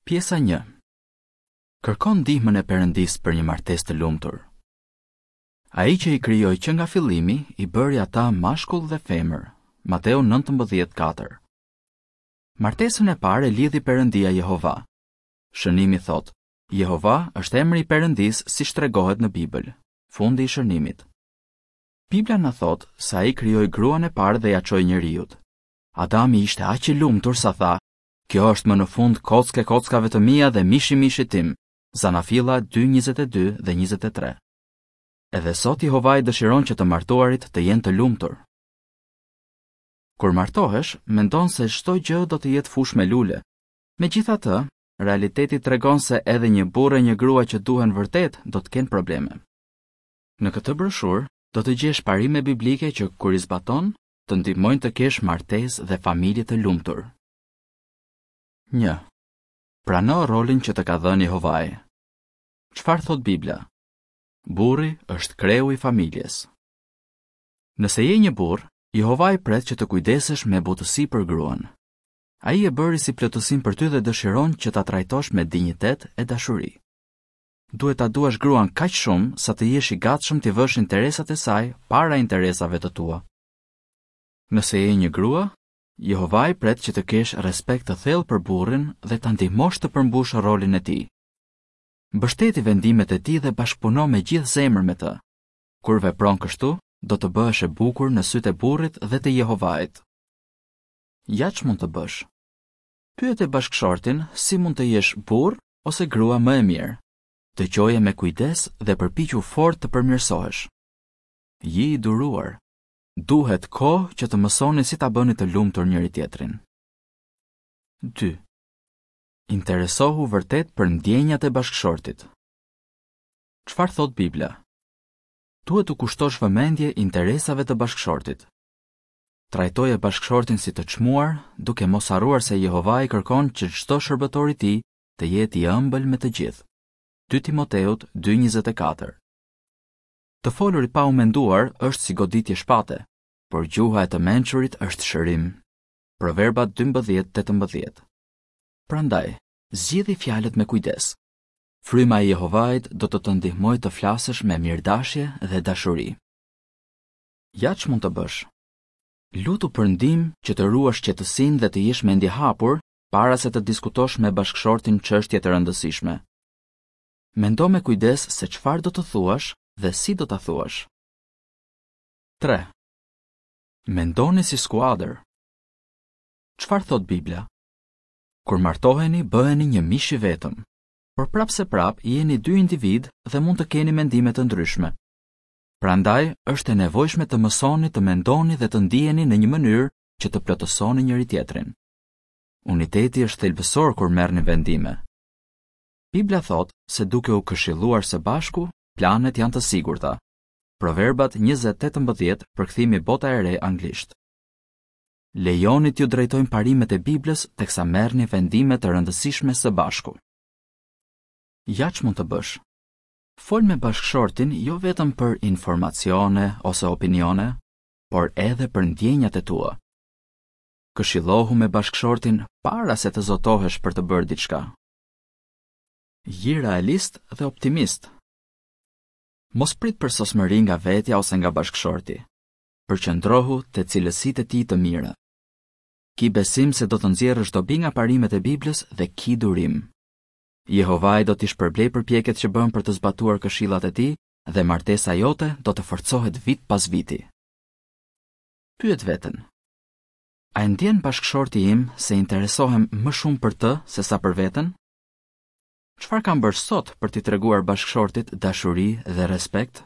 Pjesa 1. Kërko ndihmën e Perëndisë për një martesë të lumtur. Ai që i krijoi që nga fillimi i bëri ata mashkull dhe femër. Mateu 19:4. Martesën e parë e lidhi Perëndia Jehova. Shënimi thotë: Jehova është emri i Perëndisë siç tregohet në Bibël. Fundi i shënimit. Bibla na thotë se ai krijoi gruan e parë dhe ia çoi njeriut. Adami ishte aq i lumtur sa tha, Kjo është më në fund kockë e kockave të mia dhe mish i mishit tim. Zanafilla 2:22 dhe 23. Edhe sot Jehovai dëshiron që të martuarit të jenë të lumtur. Kur martohesh, mendon se çdo gjë do të jetë fushë me lule. Megjithatë, realiteti tregon se edhe një burrë e një grua që duhen vërtet do të kenë probleme. Në këtë broshurë do të gjesh parime biblike që kur i zbaton, të ndihmojnë të kesh martesë dhe familje të lumtur. 1. Prano rolin që të ka dhënë Jehovai. Çfarë thotë Bibla? Burri është kreu i familjes. Nëse je një burrë, Jehovai pret që të kujdesesh me butësi për gruan. Ai e bëri si plotësim për ty dhe dëshiron që ta trajtosh me dinjitet e dashuri. Duhet ta duash gruan kaq shumë sa të jesh i gatshëm t'i vësh interesat e saj para interesave të tua. Nëse je një grua, Jehovai pret që të kesh respekt të thellë për burrin dhe ta ndihmosh të përmbushë rolin e tij. Mbështeti vendimet e tij dhe bashkëpuno me gjithë zemër me të. Kur vepron kështu, do të bëhesh e bukur në sytë e burrit dhe të Jehovait. Ja ç'mund të bësh. Pyete bashkëshortin si mund të jesh burrë ose grua më e mirë. Dëgjoje me kujdes dhe përpiqu fort të përmirësohesh. Ji i duruar. Duhet kohë që të mësoni si ta bëni të lumtur njëri-tjetrin. 2. Interesohu vërtet për ndjenjat e bashkëshortit. Çfarë thotë Bibla? Duhet t'u kushtosh vëmendje interesave të bashkëshortit. Trajtoje bashkëshortin si të çmuar, duke mos harruar se Jehovai kërkon që çdo shërbëtor i tij të jetë i ëmbël me të gjithë. 2 Timoteut 2:24. Të folurit pa u menduar është si goditje shpate, por gjuha e të mençurit është shërim. Proverbat 12:18. Prandaj, zgjidhi fjalët me kujdes. Fryma e Jehovait do të të ndihmojë të flasësh me mirëdashje dhe dashuri. Ja ç'mund të bësh. Lutu për ndihmë që të ruash qetësinë dhe të jesh mendjehapur para se të diskutosh me bashkëshortin çështje të rëndësishme. Mendo me kujdes se çfarë do të thuash dhe si do ta thuash. 3. Mendoni si skuadër. Çfarë thotë Bibla? Kur martoheni, bëheni një mish i vetëm. Por prapëseprapë jeni dy individë dhe mund të keni mendime të ndryshme. Prandaj, është e nevojshme të mësoni të mendoni dhe të ndiheni në një mënyrë që të plotësoni njëri-tjetrin. Uniteti është thelbësor kur merrni vendime. Bibla thotë se duke u këshilluar së bashku, planet janë të sigurta. Proverbat 20:18, përkthimi Bota e Re anglisht. Lejoni t'ju drejtojnë parimet e Biblës teksa merrni vendime të rëndësishme së bashku. Ja ç'mund të bësh. Fol me bashkëshortin jo vetëm për informacione ose opinione, por edhe për ndjenjat e tua. Këshillohu me bashkëshortin para se të zotohesh për të bërë diçka. Ji realist dhe optimist. Mos prit përsosmëri nga vetja ose nga bashkëshorti. Përqendrohu te cilësitë e tij të mira. Ki besim se do të nxjerrësh dobi nga parimet e Biblës dhe ki durim. Jehovai do t'i shpërblejë përpjekjet që bën për të zbatuar këshillat e tij dhe martesa jote do të forcohet vit pas viti. Pyet veten. A e ndjen bashkëshorti im se interesohem më shumë për të sesa për veten? Çfarë kam bërë sot për t'i treguar bashkëshortit dashuri dhe respekt?